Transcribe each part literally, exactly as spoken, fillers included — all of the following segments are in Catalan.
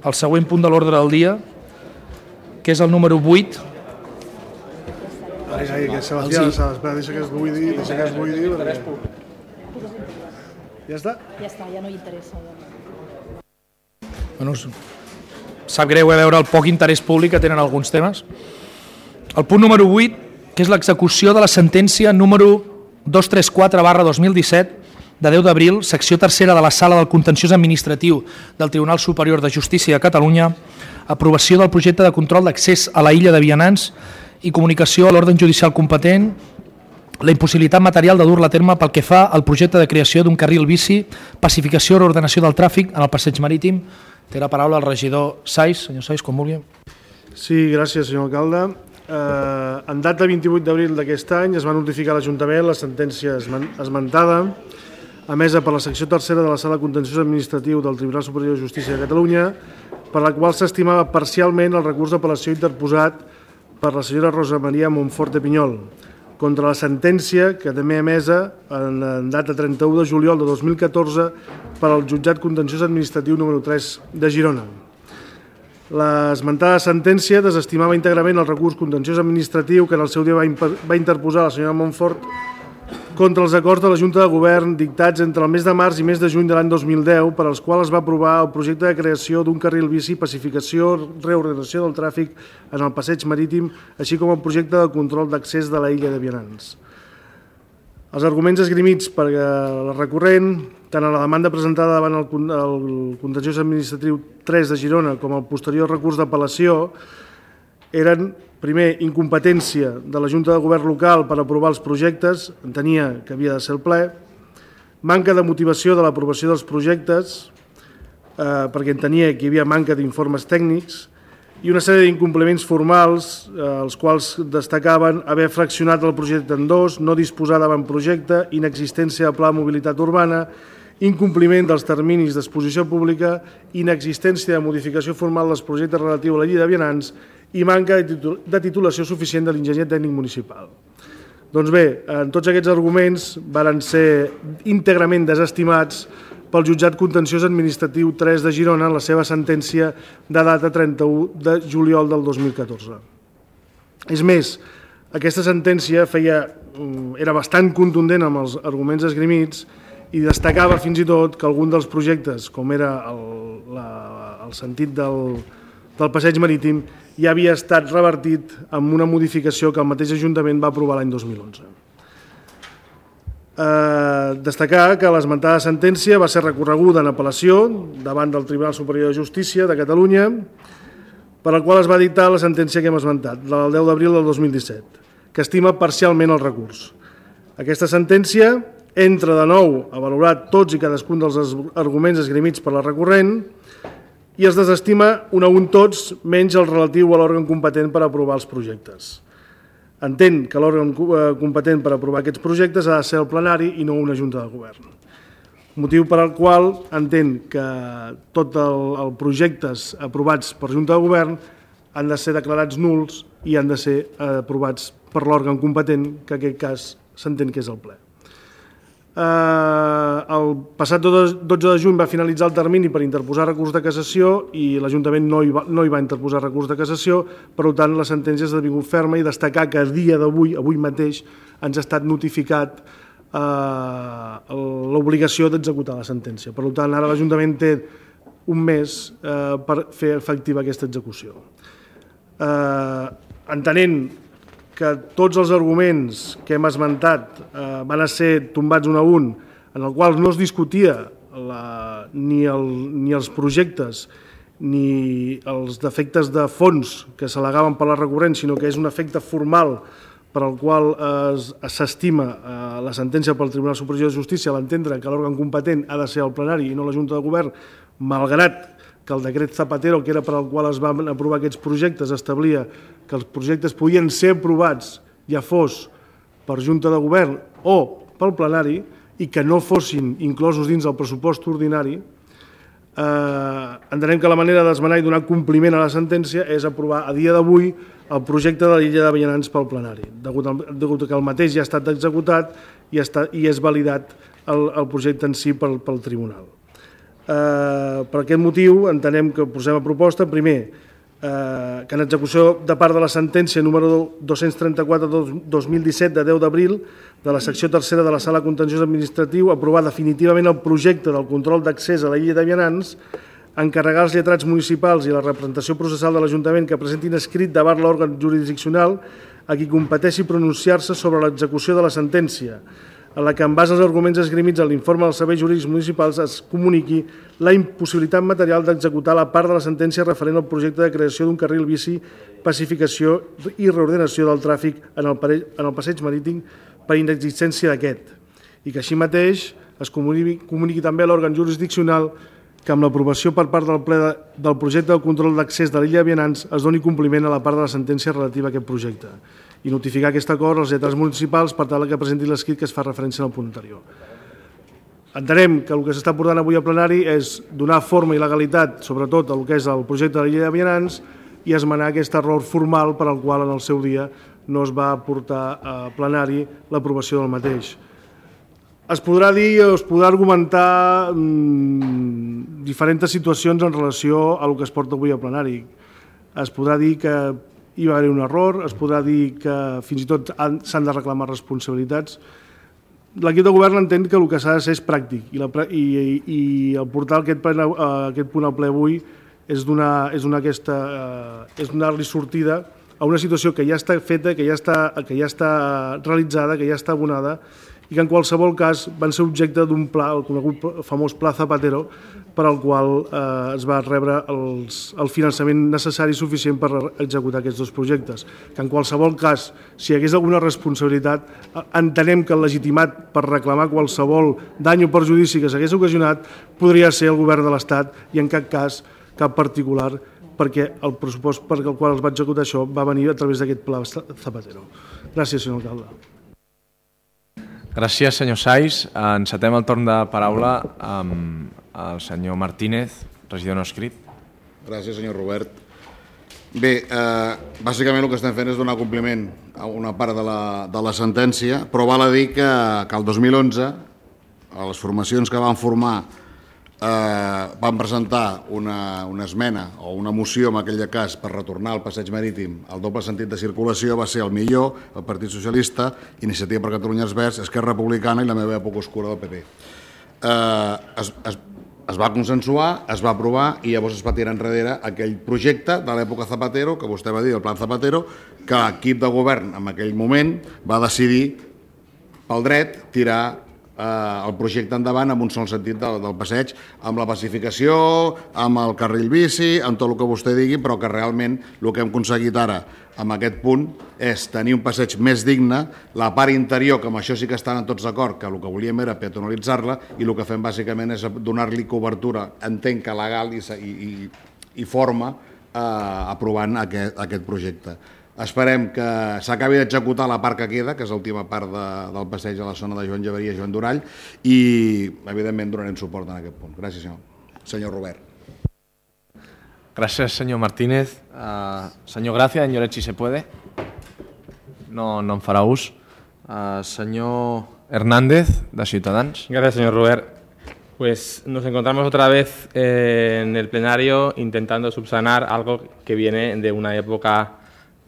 el següent punt de l'ordre del dia, que és el número vuit. Ai, ai, que Sebastià, espera, deixa que es vull dir, deixa que es vull dir. Ja està? Ja està, ja no hi interessa. Bueno, sap greu a veure el poc interès públic que tenen alguns temes. El punt número vuit, que és l'execució de la sentència número dos cents i trenta quatre barra dos mil disset de deu d'abril, secció tercera de la Sala del Contenciós Administratiu del Tribunal Superior de Justícia de Catalunya, aprovació del projecte de control d'accés a la illa de Vianants i comunicació a l'òrgan judicial competent, la impossibilitat material de dur-la a terme pel que fa al projecte de creació d'un carril bici, pacificació i reordenació del tràfic en el passeig marítim. Té la paraula el regidor Sais. Senyor Sais, com vulgui. Sí, gràcies, senyor alcalde. Eh, en data vint-i-vuit d'abril d'aquest any es va notificar a l'Ajuntament la sentència esmentada, emesa per la secció tercera de la Sala de Contenciós Administratiu del Tribunal Superior de Justícia de Catalunya, per la qual s'estimava parcialment el recurs d'apel·lació interposat per la senyora Rosa Maria Montfort de Pinyol contra la sentència que també emesa en data trenta-u de juliol de dos mil catorze per al Jutjat Contenciós Administratiu número tres de Girona. L'esmentada sentència desestimava íntegrament el recurs contenciós administratiu que en el seu dia va interposar la senyora Montfort contra els acords de la Junta de Govern dictats entre el mes de març i mes de juny de l'any dos mil deu, per als quals es va aprovar el projecte de creació d'un carril bici, pacificació, reordenació del tràfic en el passeig marítim, així com el projecte de control d'accés de la illa de Vianants. Els arguments esgrimits per la recurrent, tant a la demanda presentada davant el Contenciós Administratiu tres de Girona com el posterior recurs d'apel·lació, eren, primer, incompetència de la Junta de Govern local per aprovar els projectes, entenia que havia de ser el ple, manca de motivació de l'aprovació dels projectes, eh, perquè entenia que hi havia manca d'informes tècnics, i una sèrie d'incompliments formals, eh, els quals destacaven haver fraccionat el projecte en dos, no disposar d'avantprojecte, inexistència de pla de mobilitat urbana, incompliment dels terminis d'exposició pública, inexistència de modificació formal dels projectes relatius a la illa de Vianants i manca de titulació suficient de l'enginyer tècnic municipal. Doncs bé, en tots aquests arguments varen ser íntegrament desestimats pel Jutjat Contenciós Administratiu tres de Girona en la seva sentència de data trenta-u de juliol del dos mil catorze. És més, aquesta sentència feia, era bastant contundent amb els arguments esgrimits i destacava fins i tot que algun dels projectes, com era el, la, el sentit del, del passeig marítim, ja havia estat revertit amb una modificació que el mateix Ajuntament va aprovar l'any dos mil onze. Eh, destacar que l'esmentada sentència va ser recorreguda en apel·lació davant del Tribunal Superior de Justícia de Catalunya, per al qual es va dictar la sentència que hem esmentat, la del deu d'abril del dos mil disset, que estima parcialment el recurs. Aquesta sentència entra de nou a valorar tots i cadascun dels arguments esgrimits per la recurrent i es desestima un a un tots, menys el relatiu a l'òrgan competent per aprovar els projectes. Entén que l'òrgan competent per aprovar aquests projectes ha de ser el plenari i no una Junta de Govern. Motiu per al qual entén que tots els projectes aprovats per Junta de Govern han de ser declarats nuls i han de ser aprovats per l'òrgan competent, que en aquest cas s'entén que és el ple. El passat dotze de juny va finalitzar el termini per interposar recurs de cassació i l'Ajuntament no hi va, no hi va interposar recurs de cassació, per tant la sentència ha esdevingut ferma i destacar que a dia d'avui, avui mateix, ens ha estat notificat eh, l'obligació d'executar la sentència. Per tant, ara l'Ajuntament té un mes eh, per fer efectiva aquesta execució. Eh, entenent que tots els arguments que hem esmentat eh, van a ser tombats un a un, en el qual no es discutia la, ni, el, ni els projectes ni els defectes de fons que s'al·legaven per la recurrent, sinó que és un efecte formal per al qual s'estima eh, la sentència pel Tribunal Superior de Justícia a l'entendre que l'òrgan competent ha de ser el plenari i no la Junta de Govern, malgrat que el decret Zapatero, que era per al qual es van aprovar aquests projectes, establia que els projectes podien ser aprovats, ja fos per Junta de Govern o pel plenari, i que no fossin inclosos dins del pressupost ordinari, eh, entenem que la manera d'esmenar i donar compliment a la sentència és aprovar a dia d'avui el projecte de l'illa de Vianants pel plenari, degut, al, degut que el mateix ja ha estat executat i, està, i és validat el, el projecte en si pel, pel tribunal. Per aquest motiu entenem que posem a proposta, primer, que en execució de part de la sentència número dos-cents trenta-quatre dos mil disset de deu d'abril de la secció tercera de la Sala Contenciós Administratiu, aprovar definitivament el projecte del control d'accés a la illa de Vianants, encarregar als lletrats municipals i la representació processal de l'Ajuntament que presentin escrit davant l'òrgan jurisdiccional a qui competeixi pronunciar-se sobre l'execució de la sentència, en la que, en base als arguments esgrimits en l'informe dels serveis jurídics municipals, es comuniqui la impossibilitat material d'executar la part de la sentència referent al projecte de creació d'un carril bici, pacificació i reordenació del tràfic en el, en el passeig marítim per inexistència d'aquest, i que així mateix es comuniqui, comuniqui també a l'òrgan jurisdiccional que amb l'aprovació per part del ple de, del projecte del control d'accés de l'illa de Vianants es doni compliment a la part de la sentència relativa a aquest projecte i notificar aquest acord als lletrats municipals per tal que presenti l'escrit que es fa referència al punt anterior. Entenem que el que s'està portant avui al plenari és donar forma i legalitat, sobretot, al que és el projecte de l'illa de Vianants i esmenar aquest error formal per al qual en el seu dia no es va portar a plenari l'aprovació del mateix. Es podrà dir o es podrà argumentar mmm, diferents situacions en relació a el que es porta avui al plenari. Es podrà dir que hi va haver un error, es podrà dir que fins i tot s'han de reclamar responsabilitats. L'equip de govern entén que el que s'ha de ser és pràctic i, la, i, i el portar aquest, ple, aquest punt al ple avui és donar, és donar, aquesta, és donar-li sortida a una situació que ja està feta, que ja està, que ja està realitzada, que ja està abonada i que en qualsevol cas van ser objecte d'un pla, el conegut famós Pla Zapatero, per al qual eh, es va rebre els, el finançament necessari i suficient per executar aquests dos projectes. Que en qualsevol cas, si hi hagués alguna responsabilitat, entenem que el legitimat per reclamar qualsevol dany o perjudici que s'hagués ocasionat podria ser el govern de l'Estat i en cap cas cap particular, perquè el pressupost per al qual es va executar això va venir a través d'aquest Pla Zapatero. Gràcies, senyor alcalde. Gràcies, senyor Saiz. Encetem el torn de paraula amb el senyor Martínez, regidor no escrit. Gràcies, senyor Robert. Bé, eh, bàsicament el que estem fent és donar compliment a una part de la, de la sentència, però val a dir que, que el dos mil onze les formacions que van formar eh, van presentar una, una esmena o una moció en aquell cas per retornar al passeig marítim al doble sentit de circulació. Va ser el millor, el Partit Socialista, Iniciativa per Catalunya Verds, Esquerra Republicana i la meva època oscura del P P. Eh, es, es, es va consensuar, es va aprovar i llavors es va tirar enrere aquell projecte de l'època Zapatero, que vostè va dir, el Plan Zapatero, que l'equip de govern en aquell moment va decidir pel dret tirar eh, el projecte endavant amb un sol sentit del, del passeig, amb la pacificació, amb el carril bici, amb tot el que vostè digui, però que realment el que hem aconseguit ara amb aquest punt és tenir un passeig més digne, la part interior, que amb això sí que estan tots d'acord, que el que volíem era peatonalitzar-la, i el que fem bàsicament és donar-li cobertura, entenc que legal i, i, i forma, eh, aprovant aquest, aquest projecte. Esperem que s'acabi d'executar la part que queda, que és l'última part de, del passeig a la zona de Joan Llaveria i Joan Durall, i evidentment donarem suport en aquest punt. Gràcies, senyor, senyor Robert. Gràcies, senyor Martínez. Uh, senyor Gracia, en Lloret, si se puede. No, no en farà ús. Uh, senyor Hernández, de Ciutadans. Gracias, señor Robert. Pues nos encontramos otra vez eh, en el plenario intentando subsanar algo que viene de una época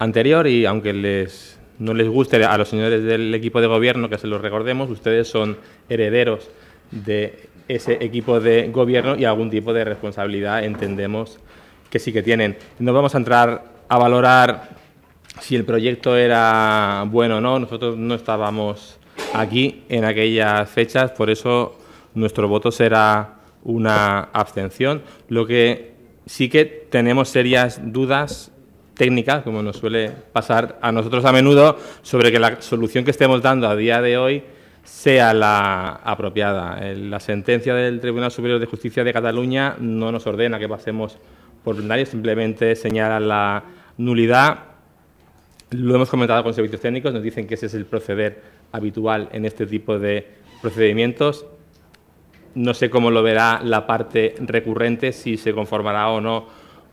anterior y aunque les, no les guste a los señores del equipo de gobierno que se los recordemos, ustedes son herederos de ese equipo de gobierno y algún tipo de responsabilidad entendemos que sí que tienen. No vamos a entrar a valorar si el proyecto era bueno o no. Nosotros no estábamos aquí en aquellas fechas, por eso nuestro voto será una abstención. Lo que sí que tenemos serias dudas técnicas, como nos suele pasar a nosotros a menudo, sobre que la solución que estemos dando a día de hoy sea la apropiada. La sentencia del Tribunal Superior de Justicia de Cataluña no nos ordena que pasemos por plenario, simplemente señala la nulidad. Lo hemos comentado con servicios técnicos, nos dicen que ese es el proceder habitual en este tipo de procedimientos. No sé cómo lo verá la parte recurrente, si se conformará o no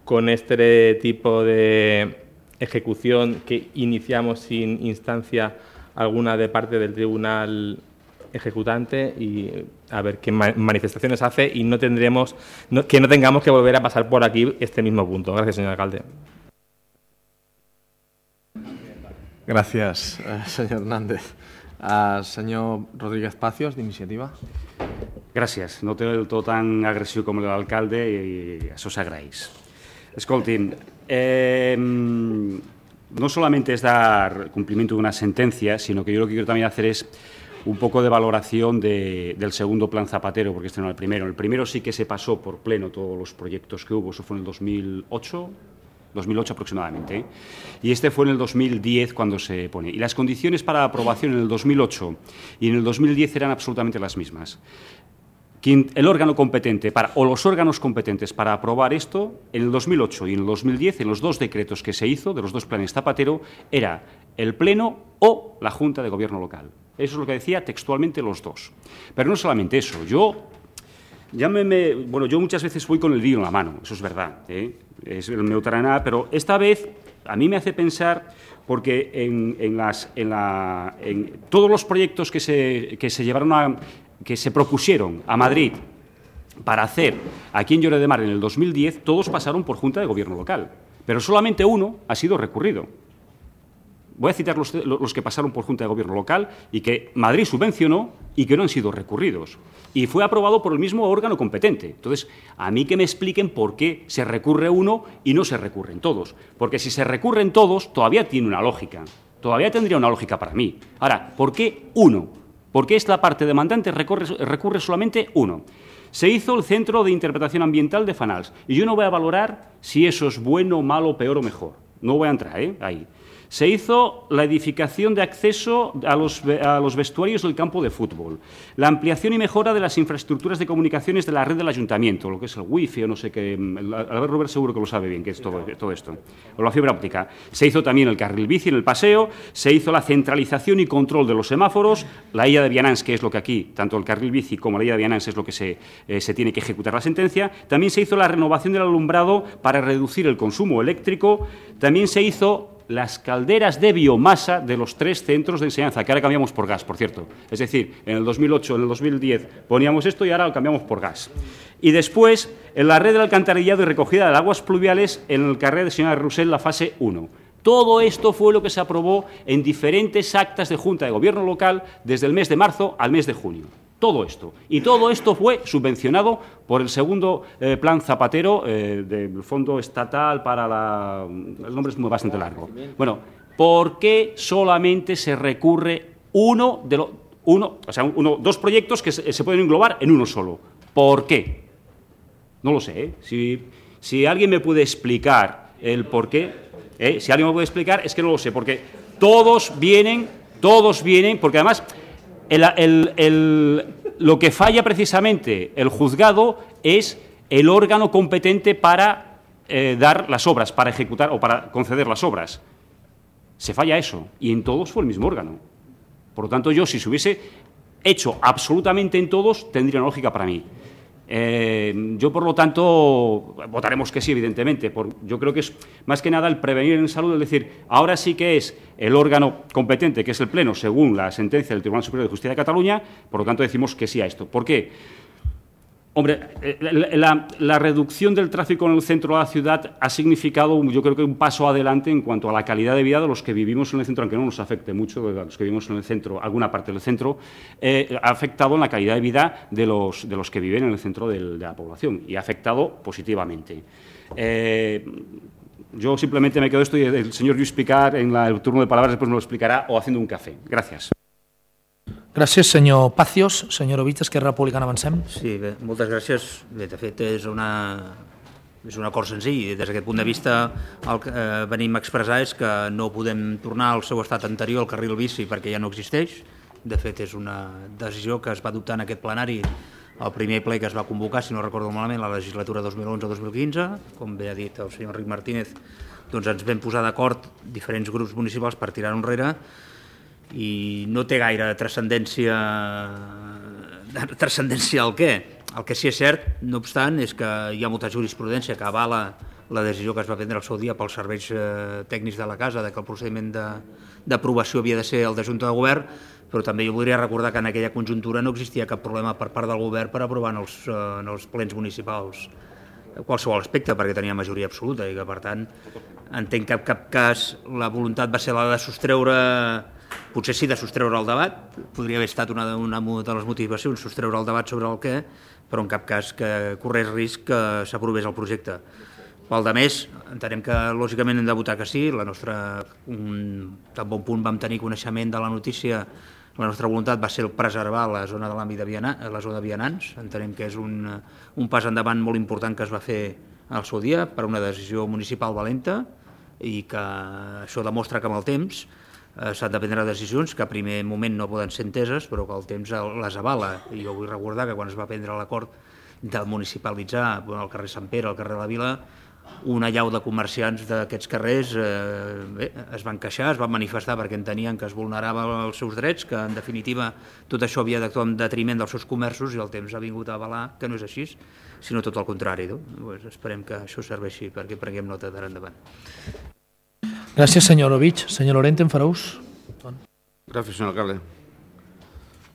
con este tipo de ejecución que iniciamos sin instancia alguna de parte del Tribunal ejecutante y a ver qué manifestaciones hace y no tendremos, no, que no tengamos que volver a pasar por aquí este mismo punto. Gracias, señor alcalde. Gracias, eh, señor Hernández. Uh, senyor Rodríguez Pacios, d'iniciativa. Gràcies. No té el to tan agressiu com l'alcalde i això s'agraeix. Escoltin, eh, no solamente es dar cumplimiento de una sentencia, sino que yo lo que quiero también hacer es un poco de valoración de, del segundo plan Zapatero, porque este no era el primero. El primero sí que se pasó por pleno todos los proyectos que hubo, eso fue en el dos mil ocho, dos mil ocho aproximadamente, ¿eh? Y este fue en el dos mil diez cuando se pone. Y las condiciones para aprobación en el dos mil ocho y en el dos mil diez eran absolutamente las mismas. Quien, el órgano competente, para, o los órganos competentes para aprobar esto, en el dos mil ocho y en el dos mil diez, en los dos decretos que se hizo, de los dos planes Zapatero, era el Pleno o la Junta de Gobierno local. Eso es lo que decía textualmente los dos. Pero no solamente eso, yo... Llámeme, bueno, yo muchas veces voy con el lío en la mano, eso es verdad, ¿eh? Es el meu taraná, pero esta vez a mí me hace pensar, porque en, en, las, en, la, en todos los proyectos que se, que se llevaron a, que se propusieron a Madrid para hacer aquí en Lloret de Mar en el dos mil diez, todos pasaron por Junta de Gobierno local, pero solamente uno ha sido recurrido. Voy a citar los, los que pasaron por Junta de Gobierno local y que Madrid subvencionó y que no han sido recurridos. Y fue aprobado por el mismo órgano competente. Entonces, a mí que me expliquen por qué se recurre uno y no se recurren todos. Porque si se recurren todos, todavía tiene una lógica. Todavía tendría una lógica para mí. Ahora, ¿por qué uno? ¿Por qué esta parte demandante recurre, recurre solamente uno? Se hizo el Centro de Interpretación Ambiental de Fanals. Y yo no voy a valorar si eso es bueno, malo, peor o mejor. No voy a entrar ¿eh? ahí. Se hizo la edificación de acceso a los, a los vestuarios del campo de fútbol, la ampliación y mejora de las infraestructuras de comunicaciones de la red del ayuntamiento, lo que es el wifi o no sé qué, Albert Robert seguro que lo sabe bien, que es todo, todo esto, o la fibra óptica. Se hizo también el carril bici en el paseo, se hizo la centralización y control de los semáforos, la illa de Vianants, que es lo que aquí, tanto el carril bici como la illa de Vianants es lo que se, eh, se tiene que ejecutar la sentencia. También se hizo la renovación del alumbrado para reducir el consumo eléctrico, también se hizo las calderas de biomasa de los tres centros de enseñanza, que ahora cambiamos por gas, por cierto. Es decir, en el dos mil ocho, en el dos mil diez poníamos esto y ahora lo cambiamos por gas. Y después, en la red del alcantarillado y recogida de aguas pluviales, en el carrer de señora Roussel, la fase uno. Todo esto fue lo que se aprobó en diferentes actas de Junta de Gobierno local desde el mes de marzo al mes de junio. Todo esto. Y todo esto fue subvencionado por el segundo eh, plan Zapatero eh, del Fondo Estatal para la... El nombre es muy bastante largo. Bueno, ¿por qué solamente se recurre uno de los... Uno, o sea, uno, dos proyectos que se, se pueden englobar en uno solo? ¿Por qué? No lo sé. ¿eh? Si, si alguien me puede explicar el por qué, ¿eh? si alguien me puede explicar, es que no lo sé, porque todos vienen, todos vienen, porque además... El, el, el, lo que falla precisamente el juzgado es el órgano competente para eh, dar las obras, para ejecutar o para conceder las obras. Se falla eso, y en todos fue el mismo órgano. Por lo tanto, yo, si se hubiese hecho absolutamente en todos, tendría una lógica para mí. Eh, yo, por lo tanto, votaremos que sí, evidentemente. Por, yo creo que es más que nada el prevenir en salud, es decir, ahora sí que es el órgano competente, que es el Pleno, según la sentencia del Tribunal Superior de Justicia de Cataluña, por lo tanto decimos que sí a esto. ¿Por qué? Hombre, la, la, la reducción del tráfico en el centro de la ciudad ha significado, yo creo que un paso adelante en cuanto a la calidad de vida de los que vivimos en el centro, aunque no nos afecte mucho, de los que vivimos en el centro, alguna parte del centro, eh, ha afectado en la calidad de vida de los, de los que viven en el centro del, de la población y ha afectado positivamente. Eh, yo simplemente me quedo esto y el señor Lluís Picar en la, el turno de palabras después me lo explicará o haciendo un café. Gracias. Gràcies, senyor Pacios. Senyor Ovich, Esquerra Republicana, avancem. Sí, bé, moltes gràcies. Bé, de fet, és, una, és un acord senzill. Des d'aquest punt de vista, el que eh, venim a expressar és que no podem tornar al seu estat anterior, al carril bici, perquè ja no existeix. De fet, és una decisió que es va adoptar en aquest plenari el primer ple que es va convocar, si no recordo malament, la legislatura dos mil onze dos mil quinze. Com bé ha dit el senyor Enric Martínez, doncs ens vam posar d'acord diferents grups municipals per tirar enrere i no té gaire transcendència transcendència al què. El que sí és cert, no obstant, és que hi ha molta jurisprudència que avala la decisió que es va prendre al seu dia pels serveis eh, tècnics de la casa, de que el procediment d'aprovació havia de ser el de Junta de Govern, però també jo voldria recordar que en aquella conjuntura no existia cap problema per part del govern per aprovar en els, eh, en els plens municipals qualsevol aspecte, perquè tenia majoria absoluta i que, per tant, entenc que en cap cas la voluntat va ser la de sostreure, potser sí de sostreure el debat, podria haver estat una, una de les motivacions, sostreure el debat sobre el què, però en cap cas que corrés risc que s'aprovés el projecte. Pel de més, entenem que lògicament hem de votar que sí, la nostra, un, tan bon punt vam tenir coneixement de la notícia, la nostra voluntat va ser preservar la zona de l'àmbit de Vianà, la zona de Vianants. Entenem que és un, un pas endavant molt important que es va fer al seu dia per una decisió municipal valenta i que això demostra que amb el temps eh, s'han de prendre decisions que a primer moment no poden ser enteses però que el temps les avala. I jo vull recordar que quan es va prendre l'acord de municipalitzar el carrer Sant Pere, el carrer de la Vila, una llau de comerciants d'aquests carrers eh, bé, es van queixar, es van manifestar perquè entenien que es vulneraven els seus drets, que en definitiva tot això havia d'actuar en detriment dels seus comerços i el temps ha vingut a avalar que no és així, sinó tot el contrari. No? Pues esperem que això serveixi perquè prenguem nota d'ara endavant. Gràcies, senyor Ovich. Senyor Lorente, en farà ús? Gracias, señor alcalde.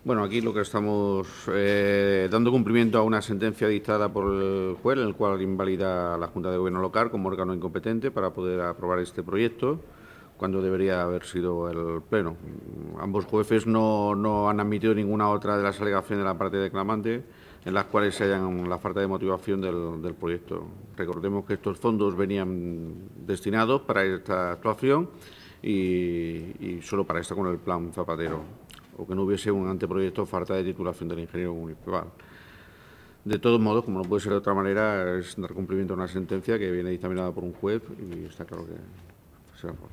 Bueno, aquí lo que estamos eh, dando cumplimiento a una sentencia dictada por el juez, en el cual invalida a la Junta de Gobierno local como órgano incompetente para poder aprobar este proyecto, cuando debería haber sido el Pleno. Ambos jueces no, no han admitido ninguna otra de las alegaciones de la parte declamante en las cuales se hallan la falta de motivación del, del proyecto. Recordemos que estos fondos venían destinados para esta actuación y, y solo para esta con el plan Zapatero, o que no hubiese un anteproyecto falta de titulación del ingeniero municipal. De todos modos, como no puede ser de otra manera, es dar cumplimiento a una sentencia que viene dictaminada por un juez y está claro que será por.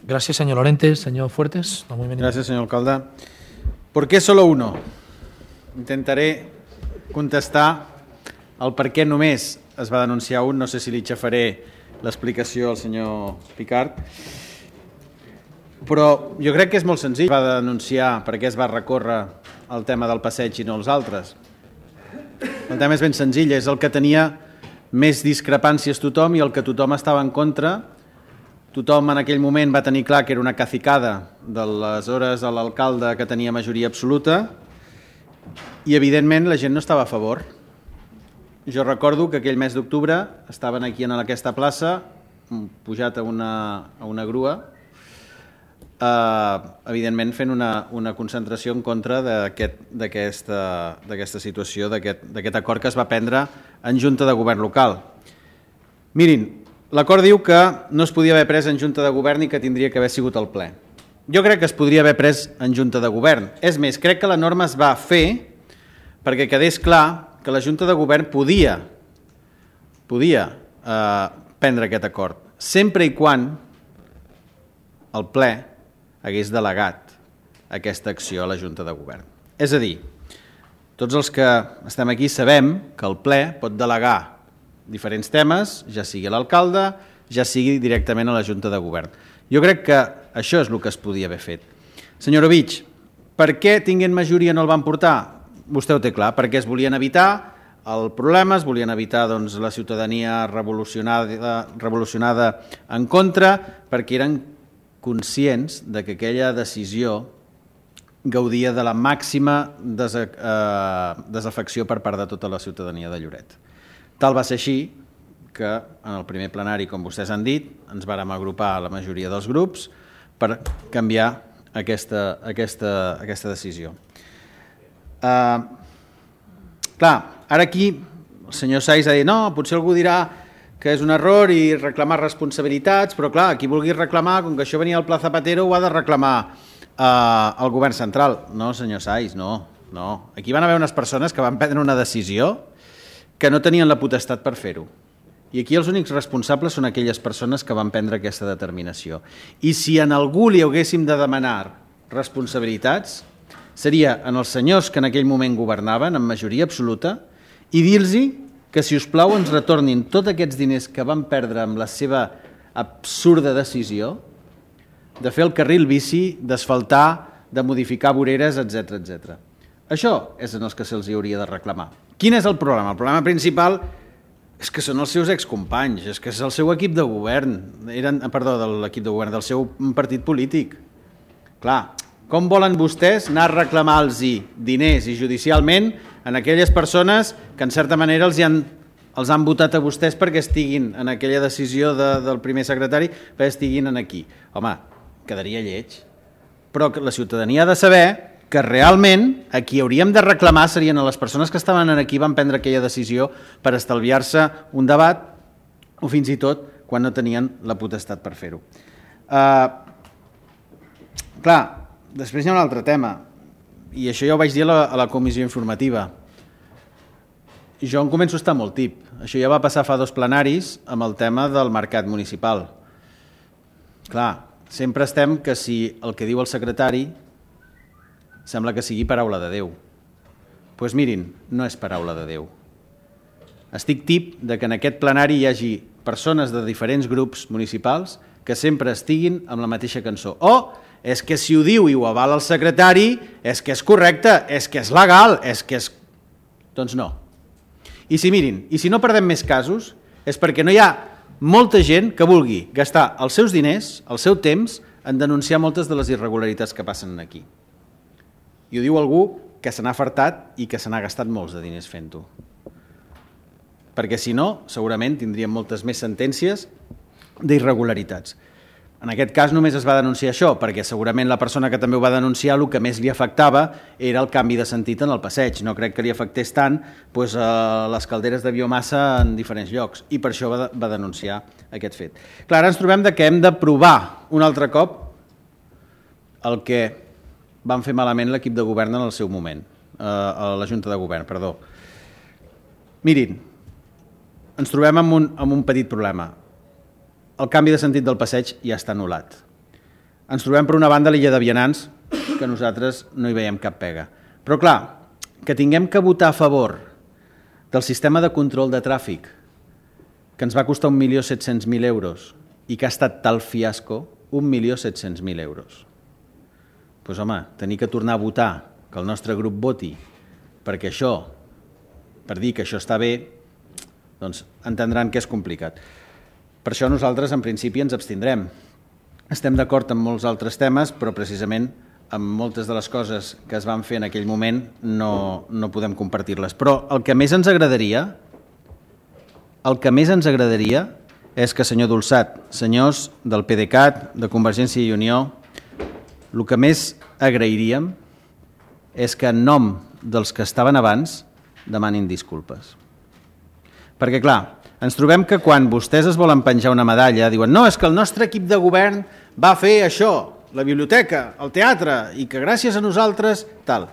Gracias, señor Lorente. Señor Fuertes. No, muy bien. Gracias, señor alcalde. ¿Por qué solo uno? Intentaré contestar el per què només es va denunciar un. No sé si li xafaré l'explicació al senyor Picard. Però jo crec que és molt senzill. Va denunciar per què es va recórrer el tema del passeig i no els altres. El tema és ben senzill, és el que tenia més discrepàncies tothom i el que tothom estava en contra. Tothom en aquell moment va tenir clar que era una cacicada de les hores a l'alcalde que tenia majoria absoluta i evidentment la gent no estava a favor. Jo recordo que aquell mes d'octubre estaven aquí en aquesta plaça, pujat a una, a una grua, Uh, evidentment fent una, una concentració en contra d'aquesta aquest, situació, d'aquest acord que es va prendre en Junta de Govern local. Mirin, l'acord diu que no es podia haver pres en Junta de Govern i que tindria que haver sigut el ple. Jo crec que es podria haver pres en Junta de Govern. És més, crec que la norma es va fer perquè quedés clar que la Junta de Govern podia, podia uh, prendre aquest acord, sempre i quan el ple hagués delegat aquesta acció a la Junta de Govern. És a dir, tots els que estem aquí sabem que el ple pot delegar diferents temes, ja sigui a l'alcalde, ja sigui directament a la Junta de Govern. Jo crec que això és el que es podia haver fet. Senyor Ovich, per què tinguent majoria no el van portar? Vostè ho té clar, perquè es volien evitar el problema, es volien evitar doncs, la ciutadania revolucionada, revolucionada en contra, perquè eren conscients de que aquella decisió gaudia de la màxima des, eh, desafecció per part de tota la ciutadania de Lloret. Tal va ser així que en el primer plenari, com vostès han dit, ens vàrem agrupar a la majoria dels grups per canviar aquesta, aquesta, aquesta decisió. Eh, clar, ara aquí el senyor Saiz ha dit no, potser algú dirà que és un error i reclamar responsabilitats, però clar, qui vulgui reclamar, com que això venia al Pla Zapatero, ho ha de reclamar eh, el govern central. No, senyor Saiz, no, no. Aquí van haver unes persones que van prendre una decisió que no tenien la potestat per fer-ho. I aquí els únics responsables són aquelles persones que van prendre aquesta determinació. I si en algú li haguéssim de demanar responsabilitats, seria en els senyors que en aquell moment governaven, amb majoria absoluta, i dir-los que, si us plau, ens retornin tots aquests diners que van perdre amb la seva absurda decisió de fer el carril bici, d'asfaltar, de modificar voreres, etcètera, etcètera. Això és en els que se'ls hauria de reclamar. Quin és el problema? El problema principal és que són els seus excompanys, és que és el seu equip de govern, eren, perdó, de l'equip de govern, del seu partit polític. Clar, com volen vostès anar a reclamar-los diners i judicialment en aquelles persones que en certa manera els han, els han votat a vostès perquè estiguin en aquella decisió de, del primer secretari, perquè estiguin aquí? Home, quedaria lleig. Però la ciutadania ha de saber que realment a qui hauríem de reclamar serien a les persones que estaven aquí i van prendre aquella decisió per estalviar-se un debat o fins i tot quan no tenien la potestat per fer-ho. Uh, clar, després hi ha un altre tema, i això ja ho vaig dir a la, a la comissió informativa. Jo em començo a estar molt tip. Això ja va passar fa dos plenaris amb el tema del mercat municipal. Clar, sempre estem que si el que diu el secretari sembla que sigui paraula de Déu. Doncs pues mirin, no és paraula de Déu. Estic tip de que en aquest plenari hi hagi persones de diferents grups municipals que sempre estiguin amb la mateixa cançó. O és que si ho diu i ho avala el secretari, és que és correcte, és que és legal, és que és... Doncs no. I si mirin, i si no perdem més casos, és perquè no hi ha molta gent que vulgui gastar els seus diners, el seu temps, en denunciar moltes de les irregularitats que passen aquí. I ho diu algú que se n'ha fartat i que se n'ha gastat molts de diners fent-ho. Perquè si no, segurament tindríem moltes més sentències d'irregularitats. En aquest cas només es va denunciar això, perquè segurament la persona que també ho va denunciar el que més li afectava era el canvi de sentit en el passeig. No crec que li afectés tant doncs, a les calderes de biomassa en diferents llocs, i per això va, va denunciar aquest fet. Clar, ara ens trobem de que hem de provar un altre cop el que van fer malament l'equip de govern en el seu moment, eh, a la Junta de Govern, perdó. Mirin, ens trobem amb un, amb un petit problema. El canvi de sentit del passeig ja està anul·lat. Ens trobem per una banda a l'illa de Vianants, que nosaltres no hi veiem cap pega. Però clar, que tinguem que votar a favor del sistema de control de tràfic, que ens va costar un milió set-cents mil euros i que ha estat tal fiasco, un milió set-cents mil euros. Doncs home, tenir que tornar a votar, que el nostre grup voti, perquè això, per dir que això està bé, doncs entendran que és complicat. Per això nosaltres, en principi, ens abstindrem. Estem d'acord amb molts altres temes, però precisament amb moltes de les coses que es van fer en aquell moment no, no podem compartir-les. Però el que més ens agradaria, el que més ens agradaria és que, senyor Dolçat, senyors del PDeCAT, de Convergència i Unió, el que més agrairíem és que en nom dels que estaven abans demanin disculpes. Perquè, clar, ens trobem que quan vostès es volen penjar una medalla, diuen no, és que el nostre equip de govern va fer això, la biblioteca, el teatre, i que gràcies a nosaltres, tal.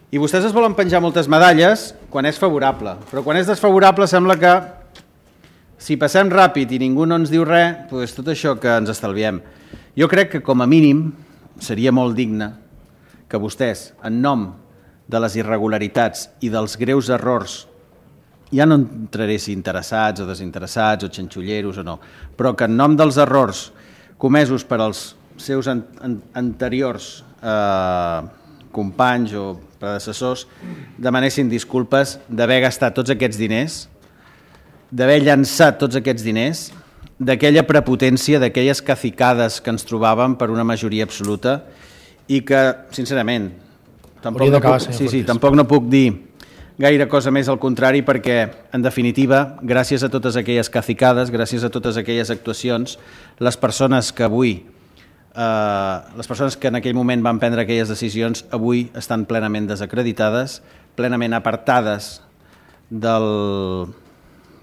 I vostès es volen penjar moltes medalles quan és favorable, però quan és desfavorable sembla que si passem ràpid i ningú no ens diu res, doncs tot això que ens estalviem. Jo crec que com a mínim seria molt digne que vostès, en nom de les irregularitats i dels greus errors, ja no entraré si interessats o desinteressats o xanxulleros o no, però que en nom dels errors comesos per als seus an an anteriors eh, companys o predecessors demanessin disculpes d'haver gastat tots aquests diners, d'haver llançat tots aquests diners, d'aquella prepotència, d'aquelles cacicades que ens trobàvem per una majoria absoluta i que, sincerament, tampoc no puc, sí, sí, tampoc no puc dir gaire cosa més al contrari perquè, en definitiva, gràcies a totes aquelles cacicades, gràcies a totes aquelles actuacions, les persones que avui, eh, les persones que en aquell moment van prendre aquelles decisions, avui estan plenament desacreditades, plenament apartades del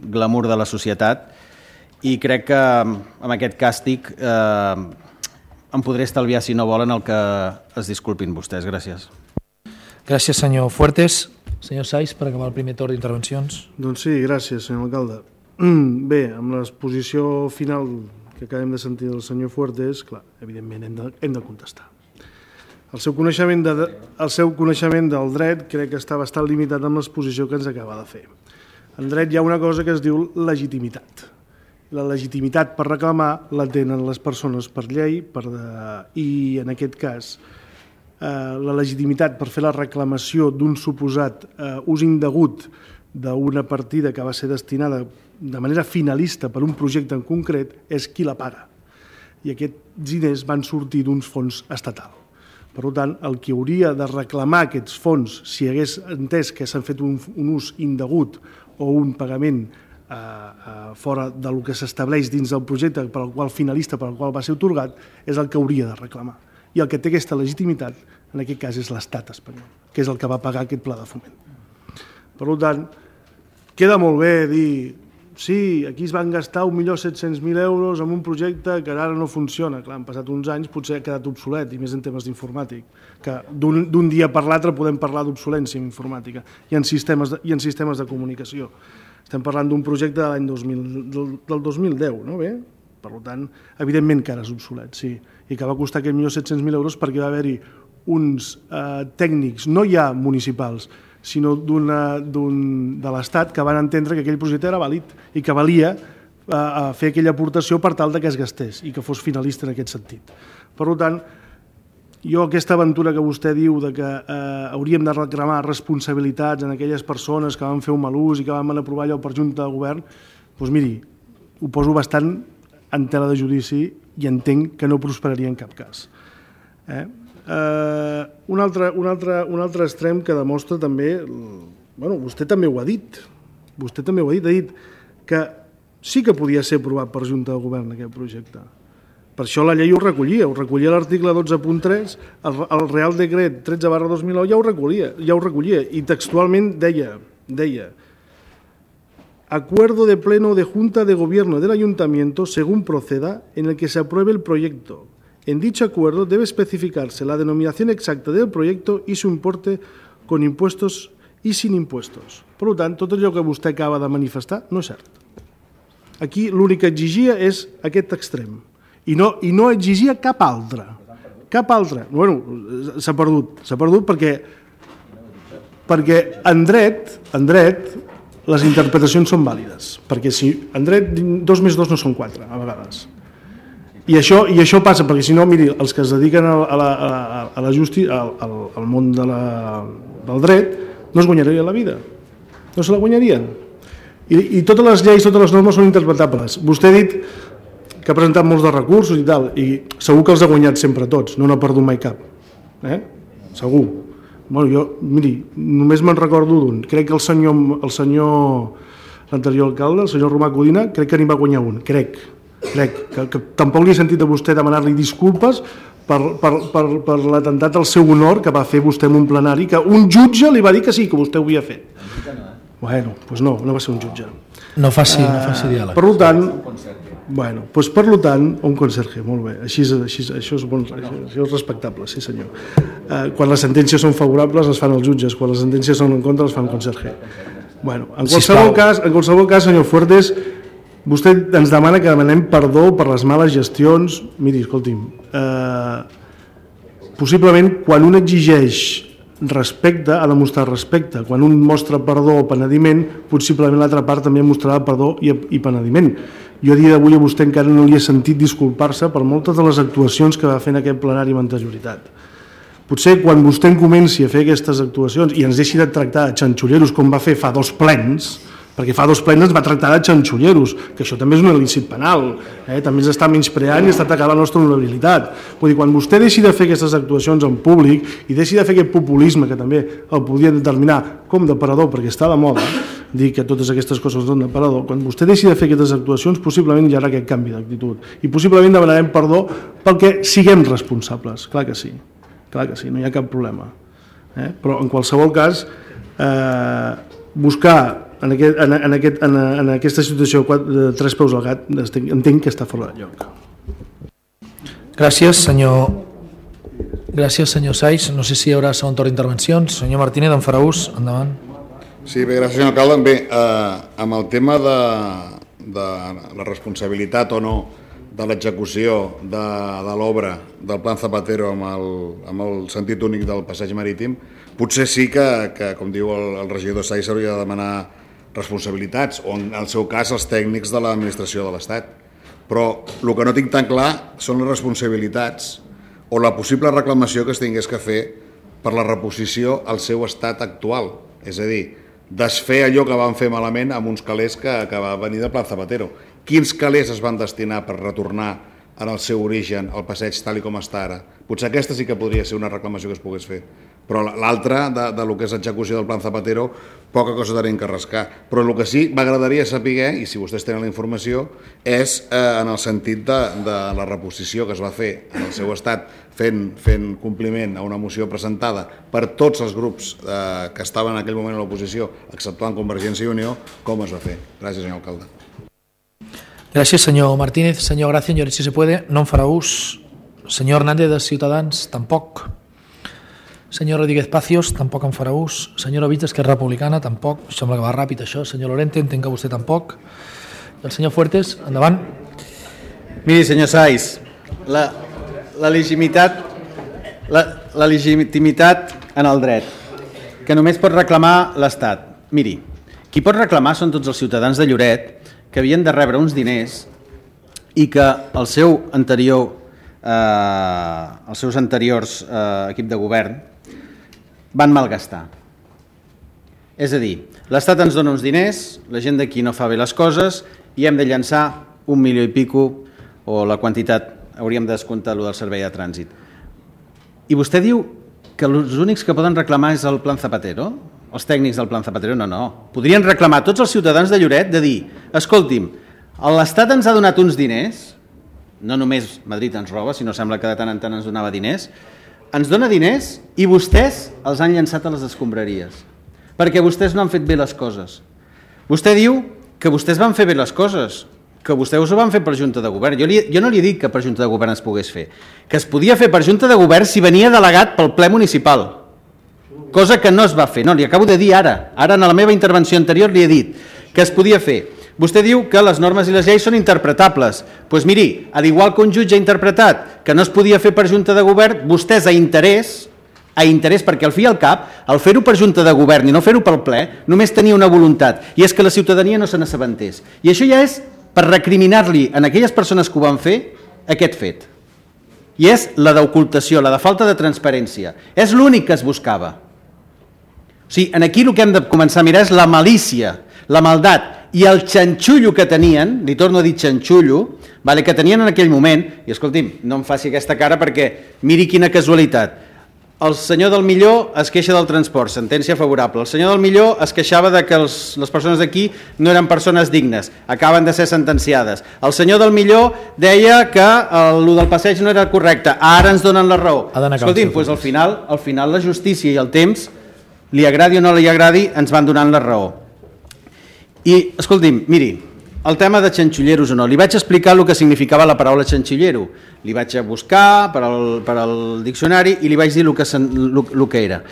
glamour de la societat, i crec que amb aquest càstig eh, em podré estalviar, si no volen, el que es disculpin vostès. Gràcies. Gràcies, senyor Fuertes. Senyor Saiz, per acabar el primer torn d'intervencions. Doncs sí, gràcies, senyor alcalde. Bé, amb l'exposició final que acabem de sentir del senyor Fuertes, clar, evidentment hem de, hem de contestar. El seu, coneixement de, el seu coneixement del dret crec que està bastant limitat amb l'exposició que ens acaba de fer. En dret hi ha una cosa que es diu legitimitat. La legitimitat per reclamar la tenen les persones per llei per de, i, en aquest cas, eh, la legitimitat per fer la reclamació d'un suposat eh, ús indegut d'una partida que va ser destinada de manera finalista per un projecte en concret és qui la paga. I aquests diners van sortir d'uns fons estatal. Per tant, el que hauria de reclamar aquests fons, si hagués entès que s'han fet un, un ús indegut o un pagament eh, eh, fora del que s'estableix dins del projecte per al qual finalista, per al qual va ser atorgat, és el que hauria de reclamar. I el que té aquesta legitimitat, en aquest cas, és l'Estat espanyol, que és el que va pagar aquest pla de foment. Per tant, queda molt bé dir sí, aquí es van gastar un milió set-cents mil euros en un projecte que ara no funciona. Clar, han passat uns anys, potser ha quedat obsolet, i més en temes d'informàtic, que d'un dia per l'altre podem parlar d'obsolència en informàtica i en sistemes de, i en sistemes de comunicació. Estem parlant d'un projecte de l'any dos mil, del, del dos mil deu, no? Bé? Per tant, evidentment que ara és obsolet, sí, i que va costar aquest milió set-cents mil euros perquè va haver-hi uns eh, tècnics, no ja municipals, sinó d'una, d'un, de l'Estat, que van entendre que aquell projecte era vàlid i que valia eh, fer aquella aportació per tal que es gastés i que fos finalista en aquest sentit. Per tant, jo aquesta aventura que vostè diu de que eh, hauríem de reclamar responsabilitats en aquelles persones que van fer un mal ús i que van aprovar allò per junta de govern, doncs miri, ho poso bastant en tela de judici i entenc que no prosperaria en cap cas. Eh? Uh, un, altre, un, altre, un altre extrem que demostra també, bueno, vostè també ho ha dit, vostè també ho ha dit, ha dit que sí que podia ser aprovat per Junta de Govern aquest projecte. Per això la llei ho recollia, ho recollia l'article dotze punt tres, el, el Real Decret tretze barra dos mil nou ja ho recollia, ja ho recollia i textualment deia, deia acuerdo de pleno de Junta de Gobierno del Ayuntamiento según proceda en el que se apruebe el proyecto. En dicho acuerdo debe especificarse la denominación exacta del proyecto y su importe con impuestos y sin impuestos. Per tant, tot allò que vostè acaba de manifestar no és cert. Aquí l'únic que exigia és aquest extrem i no, i no exigia cap altre. Cap altre. Bueno, s'ha perdut. S'ha perdut perquè, perquè en dret, en dret les interpretacions són vàlides. Perquè si en dret dos més dos no són quatre, a vegades. I això, i això passa, perquè si no, miri, els que es dediquen a la, a la, a la justícia, al, al món de la, del dret, no es guanyarien la vida. No se la guanyarien. I, I totes les lleis, totes les normes són interpretables. Vostè ha dit que ha presentat molts de recursos i tal, i segur que els ha guanyat sempre tots, no n'ha perdut mai cap. Eh? Segur. Bueno, jo, miri, només me'n recordo d'un. Crec que el senyor, el senyor, l'anterior alcalde, el senyor Romà Codina, crec que n'hi va guanyar un, crec. Crec que, que tampoc li he sentit a vostè demanar-li disculpes per, per, per, per l'atemptat al seu honor que va fer vostè en un plenari, que un jutge li va dir que sí, que vostè ho havia fet. Bueno, doncs no, no va ser un jutge. No faci, uh, no faci diàleg. Per tant, bueno, doncs per tant, un conserge, molt bé, així, així, això, és bon, això és respectable, sí senyor. Uh, quan les sentències són favorables les fan els jutges, quan les sentències són en contra les fan conserge. Bueno, en qualsevol cas, en qualsevol cas, senyor Fuertes, vostè ens demana que demanem perdó per les males gestions. Miri, escolti'm, eh, possiblement quan un exigeix respecte, ha de mostrar respecte. Quan un mostra perdó o penediment, possiblement l'altra part també mostrarà perdó i, i penediment. Jo a dia d'avui a vostè encara no li he sentit disculpar-se per moltes de les actuacions que va fer en aquest plenari amb anterioritat. Potser quan vostè comenci a fer aquestes actuacions i ens deixi de tractar de xanxulleros com va fer fa dos plens, perquè fa dos plens ens va tractar de xanxulleros, que això també és un il·lícit penal, eh? També ens està menyspreant i està atacant la nostra honorabilitat. Vull dir, quan vostè deixi de fer aquestes actuacions en públic i deixi de fer aquest populisme, que també el podia determinar com d'aparador, perquè està de moda dir que totes aquestes coses són d'aparador, quan vostè deixi de fer aquestes actuacions, possiblement hi haurà aquest canvi d'actitud. I possiblement demanarem perdó perquè siguem responsables, clar que sí, clar que sí, no hi ha cap problema. Eh? Però en qualsevol cas, eh, buscar en, aquest, en, en, aquest, en, en aquesta situació de tres peus al gat entenc que està fora de lloc. Gràcies, senyor. Gràcies, senyor Saiz. No sé si hi haurà segon torn d'intervencions. Senyor Martínez, en farà ús. Endavant. Sí, bé, gràcies, senyor alcalde. Bé, eh, amb el tema de, de la responsabilitat o no de l'execució de, de l'obra del Plan Zapatero amb el, amb el sentit únic del passeig marítim, potser sí que, que com diu el, el regidor Saiz, s'hauria de demanar responsabilitats, o en el seu cas els tècnics de l'administració de l'Estat. Però el que no tinc tan clar són les responsabilitats o la possible reclamació que es tingués que fer per la reposició al seu estat actual. És a dir, desfer allò que van fer malament amb uns calés que, que va venir de Plan Zapatero. Quins calés es van destinar per retornar en el seu origen al passeig tal i com està ara? Potser aquesta sí que podria ser una reclamació que es pogués fer, però l'altra, de, de lo que és execució del Plan Zapatero, poca cosa tenim que rascar. Però el que sí m'agradaria saber, i si vostès tenen la informació, és eh, en el sentit de, de la reposició que es va fer en el seu estat fent, fent compliment a una moció presentada per tots els grups eh, que estaven en aquell moment a l'oposició, exceptuant Convergència i Unió, com es va fer. Gràcies, senyor alcalde. Gràcies, senyor Martínez. Senyor Gracia, señor, si se puede, no en farà ús. Senyor Hernández, de Ciutadans, tampoc. Senyor Rodríguez Pacios, tampoc en farà ús. Senyor Ovich, d'Esquerra Republicana, tampoc. Sembla que va ràpid, això. Senyor Lorente, entenc que vostè tampoc. I el senyor Fuertes, endavant. Miri, senyor Saiz, la, la, legitimitat, la, la legitimitat en el dret, que només pot reclamar l'Estat. Miri, qui pot reclamar són tots els ciutadans de Lloret que havien de rebre uns diners i que el seu anterior, eh, els seus anteriors eh, equip de govern van malgastar. És a dir, l'Estat ens dona uns diners, la gent d'aquí no fa bé les coses i hem de llançar un milió i pico o la quantitat, hauríem de descomptar allò del servei de trànsit. I vostè diu que els únics que poden reclamar és el Plan Zapatero? Els tècnics del Plan Zapatero? No, no. Podrien reclamar tots els ciutadans de Lloret de dir, escolti'm, l'Estat ens ha donat uns diners, no només Madrid ens roba, sinó sembla que de tant en tant ens donava diners, ens dona diners i vostès els han llançat a les escombraries, perquè vostès no han fet bé les coses. Vostè diu que vostès van fer bé les coses, que vostès ho van fer per Junta de Govern. Jo, li, jo no li he dit que per Junta de Govern es pogués fer, que es podia fer per Junta de Govern si venia delegat pel ple municipal, cosa que no es va fer. No, li acabo de dir ara, ara en la meva intervenció anterior li he dit que es podia fer. Vostè diu que les normes i les lleis són interpretables. Doncs pues miri, al igual que un jutge ha interpretat que no es podia fer per Junta de Govern, vostès a interès, a interès perquè al fi i al cap, al fer-ho per Junta de Govern i no fer-ho pel ple, només tenia una voluntat, i és que la ciutadania no se n'assabentés. I això ja és per recriminar-li a aquelles persones que ho van fer aquest fet. I és la d'ocultació, la de falta de transparència. És l'únic que es buscava. O sigui, aquí el que hem de començar a mirar és la malícia, la maldat i el xanxullo que tenien, li torno a dir xanxullo, vale, que tenien en aquell moment, i escolti'm, no em faci aquesta cara perquè miri quina casualitat. El senyor del Millor es queixa del transport, sentència favorable. El senyor del Millor es queixava de que els, les persones d'aquí no eren persones dignes, acaben de ser sentenciades. El senyor del Millor deia que el, el del passeig no era correcte, ara ens donen la raó. Escolti'm, doncs al final, al final la justícia i el temps, li agradi o no li agradi, ens van donant la raó. I, escolti'm, miri, el tema de xanxulleros o no, li vaig explicar el que significava la paraula xanxullero, li vaig a buscar per al, per al diccionari i li vaig dir el que, el, el que era.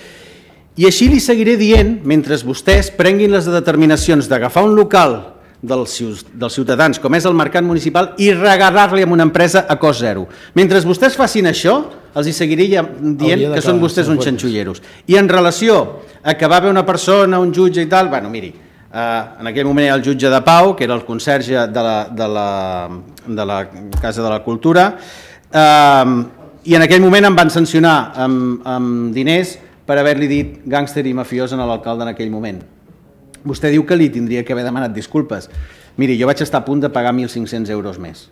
I així li seguiré dient, mentre vostès prenguin les determinacions d'agafar un local dels, dels ciutadans, com és el mercat municipal, i regalar-li amb una empresa a cost zero. Mentre vostès facin això, els hi seguiré dient que són vostès uns xanxulleros. I en relació a que va haver una persona, un jutge i tal, bueno, miri, Uh, en aquell moment era el jutge de Pau, que era el conserge de la, de la, de la Casa de la Cultura, uh, i en aquell moment em van sancionar amb, amb diners per haver-li dit gàngster i mafiós a l'alcalde en aquell moment. Vostè diu que li tindria que haver demanat disculpes. Miri, jo vaig estar a punt de pagar mil cinc-cents euros més.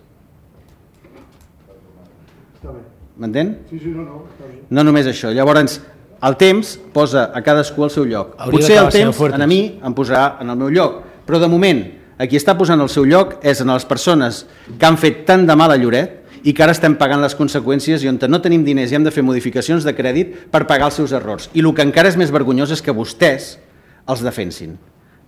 M'entén? Sí, sí, no, no. No només això. Llavors, el temps posa a cadascú al seu lloc. Hauria Potser el temps a mi em posarà en el meu lloc, però de moment a qui està posant el seu lloc és en les persones que han fet tant de mal a Lloret i que ara estem pagant les conseqüències i on no tenim diners i hem de fer modificacions de crèdit per pagar els seus errors. I el que encara és més vergonyós és que vostès els defensin.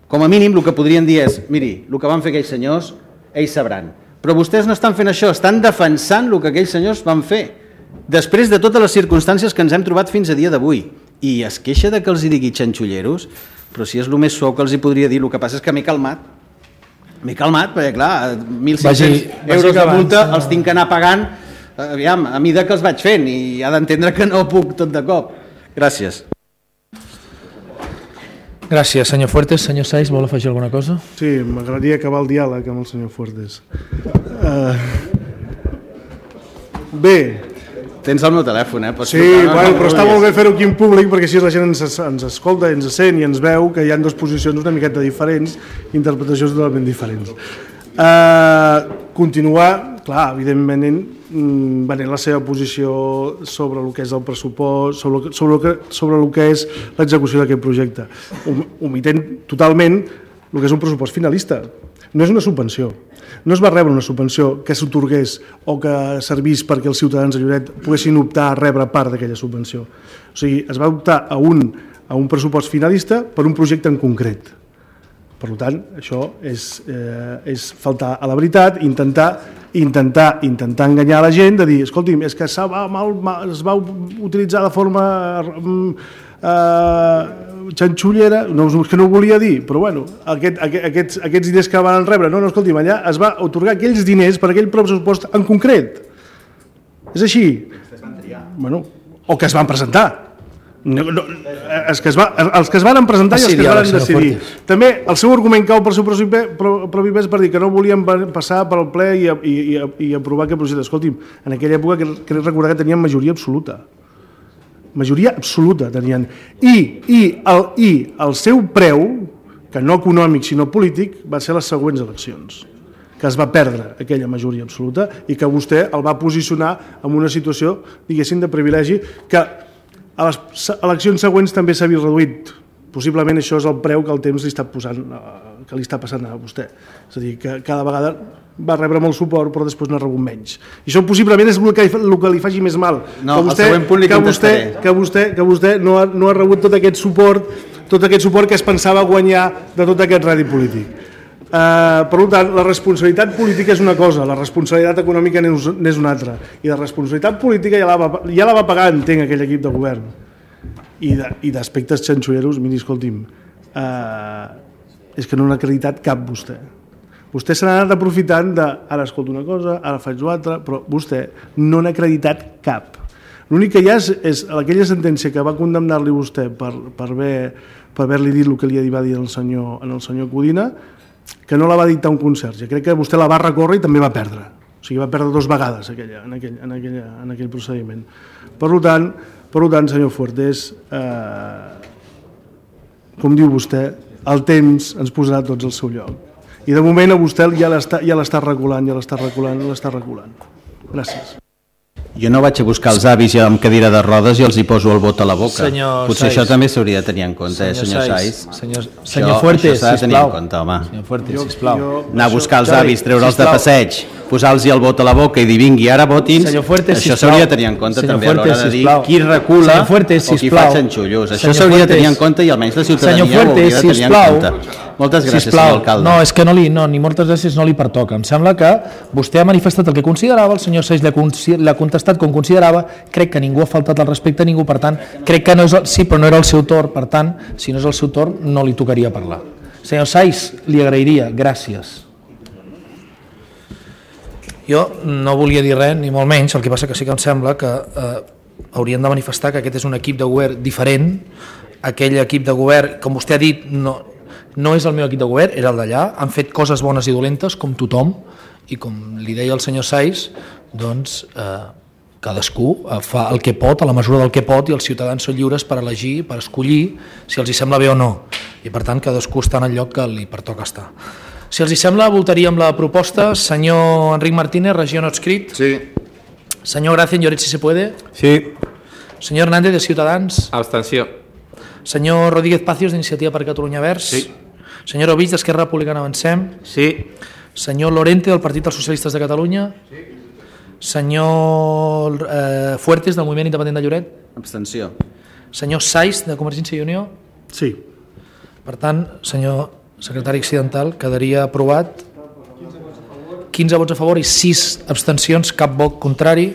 Com a mínim el que podrien dir és, miri, el que van fer aquells senyors, ells sabran. Però vostès no estan fent això, estan defensant el que aquells senyors van fer. Després de totes les circumstàncies que ens hem trobat fins a dia d'avui, i es queixa de que els hi digui xanxulleros, però si és el més suau que els hi podria dir, el que passa és que m'he calmat, m'he calmat, perquè clar, mil cinc-cents euros de multa els tinc que anar pagant, aviam, a mida que els vaig fent, i ha d'entendre que no puc tot de cop. Gràcies. Gràcies, senyor Fuertes. Senyor Saiz, vol afegir alguna cosa? Sí, m'agradaria acabar el diàleg amb el senyor Fuertes. Uh, bé, Tens el meu telèfon, eh? Pots Sí, trucar, bueno, no, però no està vulguis. molt bé fer-ho aquí en públic perquè així la gent ens, ens escolta, ens sent i ens veu que hi ha dues posicions una miqueta diferents, interpretacions totalment diferents. Uh, continuar, clar, evidentment, venent la seva posició sobre el que és el pressupost, sobre el que, sobre el que, sobre el que és l'execució d'aquest projecte. Omitent totalment el que és un pressupost finalista. No és una subvenció. No es va rebre una subvenció que s'atorgués o que servís perquè els ciutadans de Lloret poguessin optar a rebre part d'aquella subvenció. O sigui, es va optar a un, a un pressupost finalista per un projecte en concret. Per tant, això és, eh, és faltar a la veritat, intentar, intentar, intentar enganyar la gent, de dir, escolti'm, és que va, mal, mal, es va utilitzar de forma eh, xanxullera, no, és que no ho volia dir, però bueno, aquest, aquests, aquests diners que van rebre, no, no, escolti'm, allà es va atorgar aquells diners per aquell pressupost en concret. És així. Bueno, o que es van presentar. No, no, els, que es va, els que es van presentar i els que es van decidir. També el seu argument cau per seu propi pes per dir que no volien passar pel ple i, i, i, i aprovar aquest projecte. Escolti'm, en aquella època crec recordar que tenien majoria absoluta. Majoria absoluta tenien. I, i, el, I el seu preu, que no econòmic sinó polític, va ser les següents eleccions, que es va perdre aquella majoria absoluta i que vostè el va posicionar en una situació, diguéssim, de privilegi que a les eleccions següents també s'ha vist reduït. Possiblement això és el preu que el temps li està posant, que li està passant a vostè. És a dir, que cada vegada va rebre molt suport però després n'ha rebut menys. I això possiblement és el que, el que li faci més mal. No, que vostè, el següent punt li que vostè, contestaré. que vostè, que vostè no, ha, no ha rebut tot aquest suport, tot aquest suport que es pensava guanyar de tot aquest rèdit polític. Uh, per tant, la responsabilitat política és una cosa, la responsabilitat econòmica n'és una altra, i la responsabilitat política ja la va, ja la va pagar, entenc, aquell equip de govern, i, de, i d'aspectes xanxulleros, miri, escolti'm, uh, és que no n'ha acreditat cap vostè. Vostè se n'ha anat aprofitant de, ara escolto una cosa, ara faig l'altra, però vostè no n'ha acreditat cap. L'únic que hi ha és, és aquella sentència que va condemnar-li vostè per, per haver, per haver-li dit el que li va dir el senyor, en el senyor Codina, que no la va dictar un conserge. Crec que vostè la va recórrer i també va perdre. O sigui, va perdre dues vegades aquella, en, aquell, en, aquella, en aquell procediment. Per tant, per tant senyor Fuertes, eh, com diu vostè, el temps ens posarà tots al seu lloc. I de moment a vostè ja l'està ja l'està reculant, ja l'està reculant, l'està reculant. Gràcies. Jo no vaig a buscar els avis ja amb cadira de rodes i els hi poso el vot a la boca. Senyor Potser Saiz. això també s'hauria de tenir en compte, senyor eh, senyor Saiz. Saiz. Senyor, Això- senyor Fuertes, això s'ha de tenir sisplau. en compte, home. Senyor Fuertes, sisplau. Jo- Anar a buscar els Jordi, avis, treure'ls de sisplau. passeig, posar-los el vot a la boca i dir vingui, ara votin. Senyor Fuertes, això sisplau. s'hauria de tenir en compte Senyor també a l'hora Fuertes, de dir sisplau. qui recula Senyor Fuertes, o qui sisplau. fa xanxullos. Això Senyor s'hauria de tenir en Fuertes. compte i almenys la ciutadania Senyor ho hauria Fuertes, de tenir en sisplau. compte. Moltes gràcies, Sisplau. senyor alcalde. No, és que no li, no, ni moltes gràcies no li pertoca. Em sembla que vostè ha manifestat el que considerava, el senyor Saiz l'ha contestat com considerava, crec que ningú ha faltat al respecte a ningú, per tant, crec que no és el, sí, però no era el seu torn, per tant, si no és el seu torn, no li tocaria parlar. Senyor Saiz, li agrairia, gràcies. Jo no volia dir res, ni molt menys, el que passa que sí que em sembla que eh, haurien de manifestar que aquest és un equip de govern diferent. Aquell equip de govern, com vostè ha dit, no, no és el meu equip de govern, era el d'allà, han fet coses bones i dolentes, com tothom, i com li deia el senyor Saiz, doncs eh, cadascú fa el que pot, a la mesura del que pot, i els ciutadans són lliures per elegir, per escollir, si els hi sembla bé o no, i per tant cadascú està en el lloc que li pertoca estar. Si els hi sembla, votaríem la proposta. Senyor Enric Martínez, regió no adscrit. Sí. Senyor Gracia, en Lloret, si se puede. Sí. Senyor Hernández, de Ciutadans. Abstenció. Senyor Rodríguez Pacios, d'Iniciativa per Catalunya Verds. Sí. Senyor Ovich, d'Esquerra Republicana Avancem. Sí. Senyor Lorente, del Partit dels Socialistes de Catalunya. Sí. Senyor eh, Fuertes, del Moviment Independent de Lloret. Abstenció. Senyor Saiz, de Convergència i Unió. Sí. Per tant, senyor secretari accidental, quedaria aprovat quinze vots a favor i sis abstencions, cap vot contrari.